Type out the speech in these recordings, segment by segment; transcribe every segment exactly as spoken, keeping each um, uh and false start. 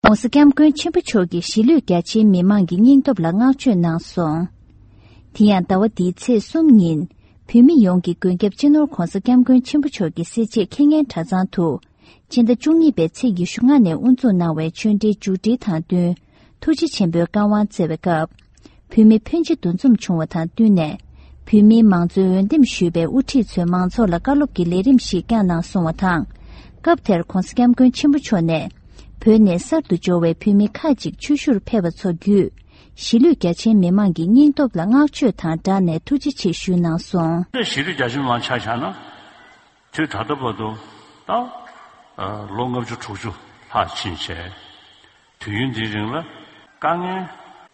༸གོང་ས་༸སྐྱབས་མགོན་ཆེན་པོ་མཆོག་གིས་གཞིས་ལུས་རྒྱ་ཆེའི་མི་མང་གི་སྙིང་སྟོབས་ལ་བསྔགས་བརྗོད་གནང་སོང་། དེ་ཡང་ཟླ་བ་འདིའི་ཚེས་གསུམ་ཉིན། བོད་མི་ཡོངས་ཀྱི་མགོན་སྐྱབས་སྤྱི་ནོར་༸གོང་ས་༸སྐྱབས་མགོན་ཆེན་པོ་མཆོག་གི་སྲས་བཅས་ཁེ་ངན་གྲྭ་ཚང་དུ། སྤྱི་ཟླ་བཅུ་གཉིས་པའི་ཚེས་ཉི་ཤུ་ལྔ་ནས་དབུ་འཛུགས་གནང་བའི་ཆོས་འབྲེལ་མཇུག་སྒྲིལ་དང་བསྟུན། ཐུགས་རྗེ་ཆེན་པོའི་བཀའ་དབང་སྩལ་བའི་སྐབས། བོད་མི་ཕོན་ཆེ་འདུ་འཛོམས་བྱུང་བ་དང་བསྟུན་ནས། བོད་མིའི་མང་གཙོའི་འོས་འདེམས་ཞུས་པའི་དབུ་ཁྲིད་ཚོས་མང་ཚོགས་ལ་བཀའ་སློབ་ཀྱི་ལས་རིམ་ཞིག་བསྐྱངས་གནང་སོང་བ་དང་། སྐབས་དེར་༸གོང་ས་༸སྐྱབས་མགོན་ཆེན་པོ་མཆོག་ནས། བོད་ནས་གསར་དུ་འབྱོར་བའི་བོད་མི་ཁག་ཅིག་ཆོས་ཞུར་ཕེབས་པ་ཚོ་བརྒྱུད། གཞིས་ལུས་རྒྱ་ཆེའི་མི་མང་གི་སྙིང་སྟོབས་ལ་བསྔགས་བརྗོད་དང་སྦྲགས་ནས་ཐུགས་རྗེ་ཆེ་ཞུས་གནང་སོང་། གཞིས་ལུས་རྒྱ་ཆེའི་མི་མང་ཆ་བཞག་ན། དུས་ད་ལྟ་བར་དུ་ད་ལོ་ལྔ་བཅུ་དྲུག་ཅུ་ལྷག་ཕྱིན་བྱས། དུས་ཡུན་འདིའི་རིང་ལ་དཀའ་ངལ་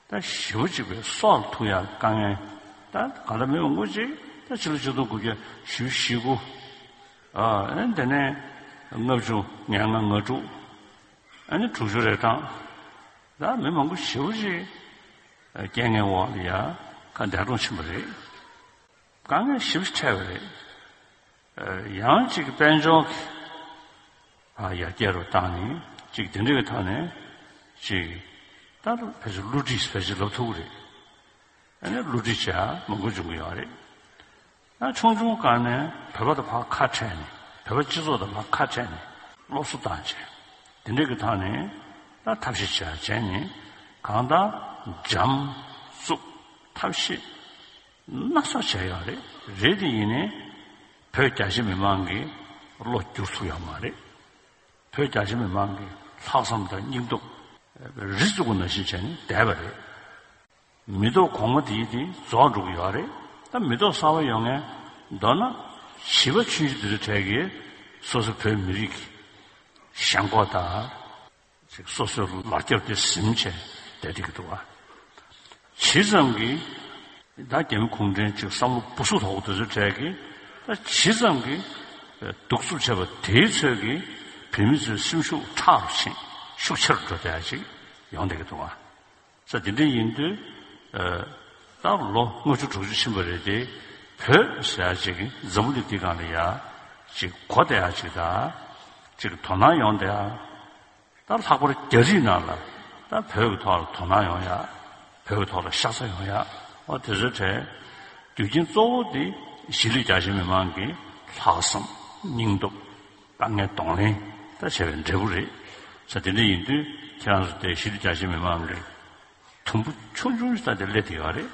ད་ཞེ་པོ་ཅིག་པའི་སྲོག་ལ་ཐུག་ཡག་དཀའ་ངལ་ད་གང་ལྟར་མི་མང་པོ་ཅིག་ད་ཕྱི་ལོ་ཆིག་སྟོང་དགུ་བརྒྱ་བཞི་བཅུ་ཞེ་དགུ། ཨ་ནི་དེ་ནས་ལྔ་བཅུ་ང་ལྔ་ང་དྲུག་ཨ་ནི་དྲུག་ཅུ་རེ་གྲངས་ད་མི་མང་པོ་ཞེ་པོ་ཅིག་རྐྱེན་ངན་འོག་ལ་ཡ་ཁ་འདས་གྲོངས་ཕྱིན་པ་རེད། དཀའ་ངལ་ཞེ་པོ་ཅིག་འཕྲད་པ་རེད། ཡང་ཅིག་དཔལ་འབྱོར་གྱི་ཡར་རྒྱས་རུ་བཏང་ནས་ཅིག་དེ་འདྲ་གི་ཐོག་ནས་ཅིག་ད་ཕལ་ཆེར་བསླུ་བྲིད་ཕལ་ཆེར་ལབ་ཐུབ་ཀྱི་རེད། ཨ་ནི་བསླུ་བྲིད་བྱས་མང་པོ་བྱུང་གི་ཡོད་རེད། ད་ཆུང་ཆུང་སྒང་ནས་བོད་པ་དང་ཕར་ཁ་བྲལ་ནས་བོད་པ་སྤྱི་ཚོགས་དང་ཕར་ཁ་བྲལ་ནས་སློབ་གསོ་བཏང་བྱས་དེ་འདྲ་གི་ཐོག་ནས་ད་ཐབས་ཤེས་བྱས་བྱས་ནས་གང་ལྟར་འཇམ་རྩུབ་ཐབས་ཤེས། སྣ་ཚོགས་བྱས་ཡོད་རེད། རེད་དེ་ཡིན་ནའི་བོད་རྒྱ་ཆེ་མི་མང་གི་བློ་བསྒྱུར་ཐུབ་ཡོད་མ་རེད། བོད་རྒྱ་ཆེ་མི་མང་གི་ལྷག་བསམ་དང་སྙིང་སྟོབས་རི་བཙུགས་པ་ནང་བཞིན་བྱས་ནས་བསྡད་པ་རེད། མི་ཐོག་གོང་མ་དེའི་དེ་རྫོགས་འགྲོ་གི་ཡོད་རེད། ད་མི་ཐོག་གསར་པ་ཡོང་མཁན་མདོར་ན་བྱིས་པ་ཆུང་ཆུང་དེ་ཚོ་གྲས་ཀྱིས་སོ་སོ་བོད་མི་རིགས་ཀྱི་ཞེན་ཁོག་དང་། ཅིག་སོ་སོའི་ལག་རྒྱབ་དེ་ཟིན་བྱས་བསྡད་བསྡད་ཀྱི་འདུག་བ། ཇི་ཙམ་གྱིས་ད་རྒྱ་མི་གུང་ཁྲན་ཅིག་བསམ་བློ་སྦུ་སུབ་དོག་དེ་ཚོའི་གྲས་ཀྱིས་ད་ཇི་ཙམ་གྱིས་གདུག་རྩུབ་བྱས་པ་དེའི་ཚོད་ཀྱིས་བོད་མི་ཚོའི་སེམས་ཤུགས་ཁྲག་རུ་ཕྱིན་ཤུགས་ཆེ་རུ་འགྲོ་བསྡད་ཡ་ཅིག་ཡོང་བསྡད་ཀྱི་འདུག་བ། ས་དེ་འདྲ་ཡིན་དུས་ད་ལོ་ལྔ་བཅུ་དྲུག་ཅུ་ཕྱིན་པ་རེད་དེ། བོད་ཟེར་ཡ་ཅིག་འཛམ་བུ་གླིང་འདི་སྒང་ལ་ཡ་ཅིག་གོ་བསྡད་ཡ་ཅིག་དང་ཅིག་དོ་སྣང་ཡོང་བསྡད་ཡ། ད་ལྷག་པར་རྒྱ་རིགས་ནང་ལ་ད་བོད་ཀྱི་ཐོག་ལ་དོ་སྣང་ཡོང་ཡ། བོད་ཀྱི་ཐོག་ལ་ཤ་ཚ་ཡོང་ཡ། འོ་དེ་ཚོའི་གྲས་རྒྱུ་རྐྱེན་གཙོ་བོ་དེ་གཞིས་ལུས་རྒྱ་ཆེ་མི་མང་གི་ལྷག་བསམ་སྙིང་སྟོབས་དཀའ་ངལ་གདོང་ལེན་ད་བྱས་པའི་འབྲས་བུ་རེད། ས་དེ་འདྲ་ཡིན་དུས་ཁྱེད་རང་ཚོ་དེ་གཞིས་ལུས་རྒྱ་ཆེ་མི་མང་གི་དུམ་བུ་ཆུང་ཆུང་ཞིག་ད་དེ་སླེབས་བསྡད་ཡོད་རེད།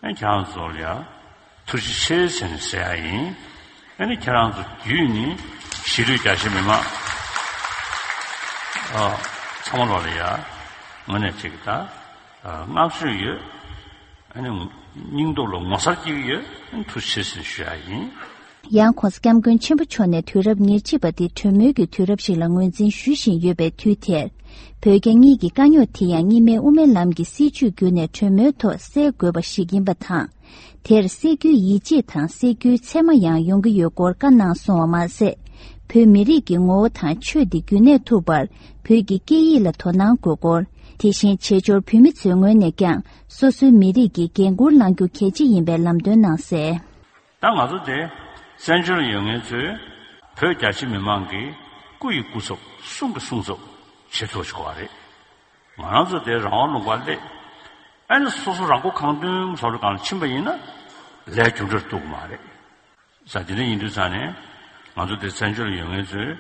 ཨ་ཁྱེད་རང་ཚོ་ལ་ཡ་ཐུགས་རྗེ་ཆེ་ཟེར་ནས་ཟེར་ཡ་ཡིན། ཨ་ནི་ཁྱེད་རང་ཚོ་བརྒྱུད་ནས་གཞིས་ལུས་རྒྱ་ཆེ་མི་མང་ཨ་ཚང་མ་ལོག་ལ་ཡ་ངོ་ནས་ཅིག་ད་བསྔགས་བརྗོད་ཡོད། ཨ་ནི་སྙིང་སྟོབས་ལ་ངོ་མཚར་སྐྱེ་གི་ཡོད། ཨ་ནི་ཐུགས་རྗེ་ཆེ་ཟེར་ནས་ཞུ་ཡ་ཡིན། ཡང་༸གོང་ས་༸སྐྱབས་མགོན་ཆེན་པོ་མཆོག་ནས་དུས་རབས་ཉེར་གཅིག་པ་འདི་གྲོས་མོལ་གྱི་དུས་རབས་ཤིག་ལ་ངོས་འཛིན་ཞུ་བཞིན་ཡོད་པའི་དུས་དེར། བོད་རྒྱ་གཉིས་ཀྱི་དཀའ་རྙོག་དེ་ཡང་གཉིས་སྨན་དབུ་མའི་ལམ་གྱི་སྲིད་བྱུས་བརྒྱུད་ནས་གྲོས་མོལ་ཐོག་སེལ་དགོས་པ་ཞིག་ཡིན་པ་དང་། དེར་སེལ་རྒྱུའི་ཡིད་ཆེས་དང་སེལ་རྒྱུའི་ཚད་མ་ཡང་ཡོང་གི་ཡོད་སྐོར་བཀའ་གནང་སོང་བ་མ་ཟད། བོད་མི་རིགས་ཀྱི་ངོ་བོ་དང་ཆོས་འདི་རྒྱུན་གནས་ཐུབ་པར་བོད་ཀྱི་སྐད་ཡིག་ལ་དོ་སྣང་དགོས་སྐོར། དེ་བཞིན་བྱེས་འབྱོར་བོད་མི་ཚོའི་ངོས་ནས་ཀྱང་སོ་སོའི་མི་རིགས་ཀྱི་འགན་འཁུར་བླང་རྒྱུ་གལ་ཆེ་ཡིན་པའི་ལམ་སྟོན་གནང་གསལ། ད་ང་ཚོ་དེ་བཙན་བྱོལ་ཡོད་མཁན་ཚོས་བོད་རྒྱ་ཆེ་མི་མང་གི་སྐུ་ཡི་སྐུ་ཚབ་གསུང་གི་གསུང་ཚབ་བྱེད་ཐུབ་ཆོག་པ་རེད། ང་རང་ཚོ་དེ་རང་དབང་ལུང་པར་སླེབས། ཨ་ནི་སོ་སོ་རང་མགོ་གང་ཐོན་བཟོ་འདྲ་སྒང་ལ་ཕྱིན་པ་ཡིན་ན་ལས་རྒྱུ་འབྲས་ཐོབ་ཀྱི་མ་རེད། ས་དེ་འདྲ་ཡིན་དུས་ཙང་ནས་ང་ཚོ་དེ་བཙན་བྱོལ་ཡོད་མཁན་ཚོས་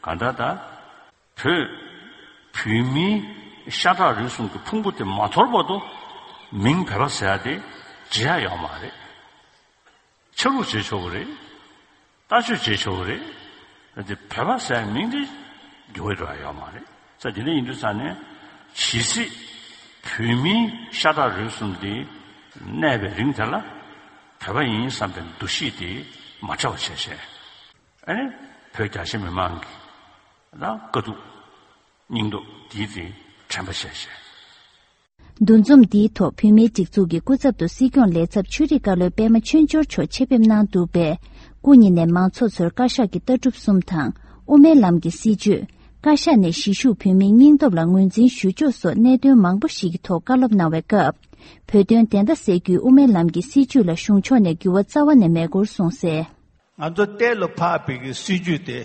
གང་ལྟར་ད་བོད་བོད་མིའི་ཤ་ཁྲག་རུས་གསུམ་གྱི་ཕུང་པོ་དེ་མ་དོར་བར་དུ་མིང་བོད་པ་ཟེར་ཡ་དེ་བརྗེ་ཡ་ཡོད་མ་རེད། ཆ་ལུགས་བརྗེ་ཆོག་གི་རེད། ལྟ་སྤྱོད་བརྗེ་ཆོག་གི་རེད། ད་དེ་བོད་པ་ཟེར་མིང་དེ་འགྱུར་བ་འགྲོ་ཡ་ཡོད་མ་རེད། ས་དེ་འདྲ་ཡིན་དུས་ཙང་ནས་ཇི་སྲིད་བོད་མིའི་ཤ་ཁྲག་རུས་གསུམ་དེ་གནས་པའི་རིང་དེ་ལ་བོད་པ་ཡིན་བསམ་པའི་འདུ་ཤེས་དེ་མ་བྲལ་བ་བྱས་བྱས། ཨ་ནི་བོད་རྒྱ་ཆེ་མི་མང་གི་ད་དཀའ་སྡུག་སྙིང་སྟོབས་དེའི་དེ་དྲན་པ་བྱས་བྱས། འདུ་འཛོམས་འདིའི་ཐོག་བོད་མིའི་སྒྲིག་འཛུགས་ཀྱི་སྐུ་ཚབ་ཏུ་སྲིད་སྐྱོང་ལས་ཚབ་ཆོས་རིག་བཀའ་བློན་པད་མ་ཆོས་འབྱོར་མཆོག་ཆེད་ཕེབས་གནང་འདུག་པས། སྐུ་ཉིད་ནས་མང་ཚོགས་ཚོར་བཀའ་ཤག་གི་ལྟ་གྲུབ་གསུམ་དང་། དབུ་མའི་ལམ་གྱི་སྲིད་བྱུས། བཀའ་ཤག་ནས་གཞིས་བཞུགས་བོད་མིའི་སྙིང་སྟོབས་ལ་ངོས་འཛིན་ཞུ་ཕྱོགས་སོགས་གནད་དོན་མང་པོ་ཞིག་གི་ཐོག་བཀའ་སློབ་གནང་བའི་སྐབས། བོད་དོན་བདེན་མཐའ་གསལ་རྒྱུའི་དབུ་མའི་ལམ་གྱི་སྲིད་བྱུས་ལ་གཞུང་ཕྱོགས་ནས་འགྱུར་བ་རྩ་བ་ནས་མེད་སྐོར་གསུངས་གསལ། ང་ཚོ་གཏན་ལ་ཕབ་པའི་གི་སྲིད་བྱུས་དེ།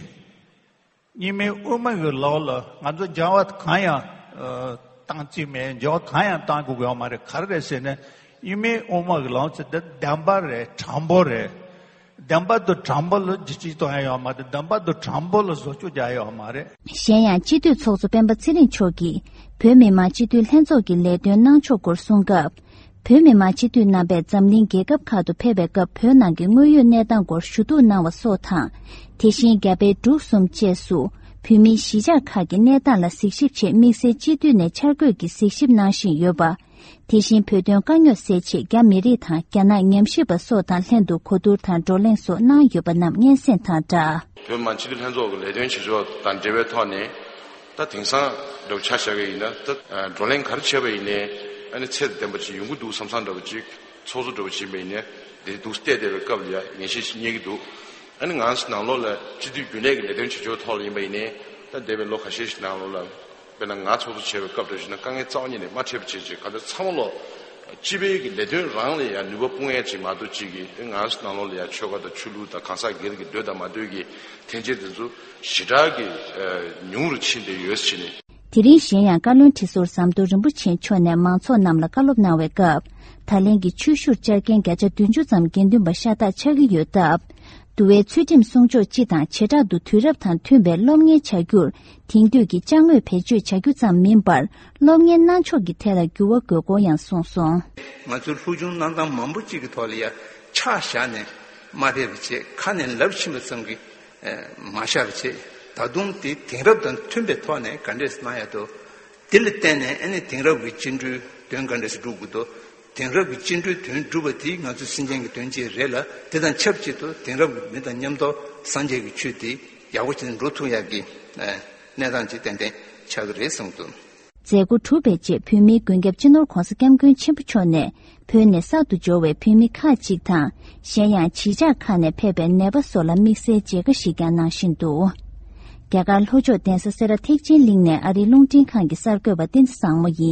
གཉིས་སྨན་དབུ་མ་གི་ལོགས་ལ་ང་ཚོ་སྦྱང་བ་གང་ཡང་ ཨ། བཏང་རྩིས་མེད། འགྱུར་བ་གང་ཡང་བཏང་དགོས་ཀྱི་ཡོད་མ་རེད། ག་རེ་རེད་ཟེར་ན། ཨི་མེ་དབུ་མ་གི་ལམ་ཟེར་དེ་བདེན་པ་རེད། དྲང་པོ་རེད། བདེན་པ་དང་དྲང་པོ་ལ་འགྱུར་བཅོས་གཏོང་ཡ་ཡོད་མ་རེད། བདེན་པ་དང་དྲང་པོ་ལ་བཟོ་བཅོས་རྒྱག་ཡ་ཡོད་མ་རེད། གཞན་ཡང་སྤྱི་འཐུས་ཚོགས་གཙོ་སྤེན་པ་ཚེ་རིང་མཆོག་གིས་བོད་མི་མང་སྤྱི་འཐུས་ལྷན་ཚོགས་ཀྱི་ལས་དོན་གནང་ཕྱོགས་སྐོར་གསུངས་སྐབས། བོད་མི་མང་སྤྱི་འཐུས་རྣམ་པས་འཛམ་གླིང་རྒྱལ་ཁབ་ཁག་ཏུ་ཕེབས་པའི་སྐབས་བོད་ནང་གི་དངོས་ཡོད་གནས་སྟངས་སྐོར་ཞུ་གཏུག་གནང་བ་སོགས་དང་། དེ་བཞིན་རྒྱ་བལ་འབྲུག་གསུམ་བཅས་སུ་བོད་མིའི་གཞིས་ཆགས་ཁག་གི་གནས་སྟངས་ལ་གཟིགས་ཞིབ་ཆེད་དམིགས་བསལ་སྤྱི་འཐུས་ནས་འཆར་འགོད་ཀྱིས་གཟིགས་ཞིབ་གནང་བཞིན་ཡོད་པ། དེ་བཞིན་བོད་དོན་དཀའ་རྙོག་སེལ་ཆེད་རྒྱ་མི་རིགས་དང་རྒྱ་ནག་ཉམས་ཞིབ་པ་སོགས་དང་ལྷན་དུ་གོ་བསྡུར་དང་བགྲོ་གླེང་སོགས་གནང་ཡོད་པ་རྣམས་སྙན་སེང་དང་སྦྲགས། བོད་མི་མང་སྤྱི་འཐུས་ལྷན་ཚོགས་ཀྱི་ལས་དོན་བྱེད་ཕྱོགས་དང་འབྲེལ་བའི་ཐོག་ནས། ད་དེང་སང་འདྲ་བོ་ཆ་བཞག་གི་ཡིན་ན། ད་བགྲོ་གླེང་ག་རེ་བྱས་པ་ཡིན་ནའི་ཨ་ནི་ཚད་ལྡན་པ་ཅིག་ཡོང་གི་འདུག་བསམ་བསམ་འདྲ་བོ་ཅིག་ཚོགས་གཙོ་འདྲ་བོ་ཅིག་ཡིན་པ་ཡིན་ནའི་དེ་འདུག་བལྟས་བསྡད་པའི་སྐབས་ལ་ཡ་ངེས་ཤེས་ཤིག་རྙེད་ཀྱི་འདུག་ཨ་ནི་ང་ཚོ་ནང་ལོགས་ལ་སྤྱི་འཐུས་རྒྱུན་ལས་ཀྱི་ལས་དོན་བྱེད་ཕྱོགས་ཐོག་ལ་ཡིན་པ་ཡིན་ནའི། ད་འདས་པའི་ལོ་ཁ་ཤས་ཤིག་ནང་ལོགས་ལ། དཔེར་ན་ང་ཚོགས་གཙོ་བྱས་པའི་སྐབས་འདྲ་ཞིག་ན་དཀའ་ངལ་རྩ་བ་ཉིད་ནས་མ་འཕྲད་པ་བྱས་བྱས། གང་ལྟར་ཚང་མ་ལོག་སྤྱི་པའི་གི་ལས་དོན་རང་ལ་ཡང་ནུས་པ་སྤུངས་ཡས་ཅིག་མ་གཏོགས་ཅིག་གི་ང་ཚོ་ནང་ལོགས་ལ་ཡང་ཆོལ་ཁ་དང་ཆོས་ལུགས་དང་གང་ཟག་སྒེར་གྱི་འདོད་དང་མ་འདོད་ཀྱི་འཐེན་འཁྱེར་དེ་ཚོ་ཞེ་དྲག་གི་ཉུང་རུ་ཕྱིན་བསྡད་ཡོད་ཟེར་ནས། དེ་རིང་གཞན་ཡང་བཀའ་བློན་ཁྲི་ཟུར་ཟམ་གདོང་རིན་པོ་ཆེ་མཆོག་ནས་མང་ཚོགས་རྣམས་ལ་བཀའ་སློབ་གནང་བའི་སྐབས། ད་ལན་གྱི་ཆོས་ཞུར་བཅར་མཁན་བརྒྱ་ཆ་བདུན་ཅུ་ཙམ་དགེ་འདུན་པ་ཤ་སྟག་ཆགས་ཀྱི་ཡོད་སྟབས། འདུལ་བའི་ཚུལ་ཁྲིམས་སྲུང་ཕྱོགས་སྤྱི་དང་བྱེ་བྲག་ཏུ་དུས་རབས་དང་མཐུན་པའི་སློབ་གཉེར་བྱ་རྒྱུར་དེང་དུས་ཀྱི་ཅ་དངོས་བེད་སྤྱོད་བྱ་རྒྱུ་ཙམ་མིན་པར། སློབ་གཉེར་གནང་ཕྱོགས་ཀྱི་ཐད་ལ་འགྱུར་བ་དགོས་སྐོར་ཡང་གསུངས་སོང་། ང་ཚོའི་སློབ་སྦྱོང་གནང་སྟངས་མང་པོ་གཅིག་གི་ཐོག་ལ་ཡ་ཆ་བཞག་ནས་མ་ཕེབས་པ་བྱས། ཁ་ནས་ལབ་ཕྱིན་པ་ཙམ་གྱིས་མ་བཞག་པ་བྱས། ད་དུང་དེ་དེང་རབས་དང་མཐུན་པའི་ཐོག་ནས་ག་འདྲས་གནང་ཡ་དོ། དེ་ལ་བརྟེན་ནས་ཨ་ནི་དེང་རབས་ཀྱི་བཅིངས་འགྲོལ་དོན་ག་འདྲས་སྒྲུབ་དགོས་དོ། དེང་རབས་ཀྱི་བཅིངས་འགྲོལ་དོན་སྒྲུབ་པ་དེ་ང་ཚོའི་སེམས་ཅན་གྱི་དོན་ཅིག་རེད་ལ། དེ་དང་ཆབས་ཅིག་ཏུ་དེང་རབས་ཀྱི་མི་དང་མཉམ་དུ་སངས་རྒྱས་ཀྱི་ཆོས་དེ་ཡག་པོ་བྱས་ནས་འགྲོ་ཐུབ་ཡག་གི་གནས་སྟངས་ཅིག་ཏན་ཏན་ཆགས་ཀྱི་རེད་གསུངས་འདུག། མཛད་སྒོ་གྲུབ་པའི་རྗེས་བོད་མིའི་མགོན་སྐྱབས་སྤྱི་ནོར་༧གོང་ས་༧སྐྱབས་མགོན་ཆེན་པོ་མཆོག་ནས་བོད་ནས་གསར་དུ་འབྱོར་བའི་བོད་མི་ཁག་ཅིག་དང་། གཞན་ཡང་གཞིས་ཆགས་ཁག་ནས་ཕེབས་པའི་ནད་པ་སོགས་ལ་དམིགས་བསལ་མཇལ་ཁ་ཞིག་ཀྱང་གནང་བཞིན་འདུག། རྒྱ་གར་ལྷོ་ཕྱོགས་གདན་ས་སེ་ར་ཐེག་ཆེན་གླིང་ནས་ཨ་རིའི་རླུང་འཕྲིན་ཁང་གི་གསར་འགོད་པ་བསྟན་འཛིན་བཟང་མོ་ཡིན།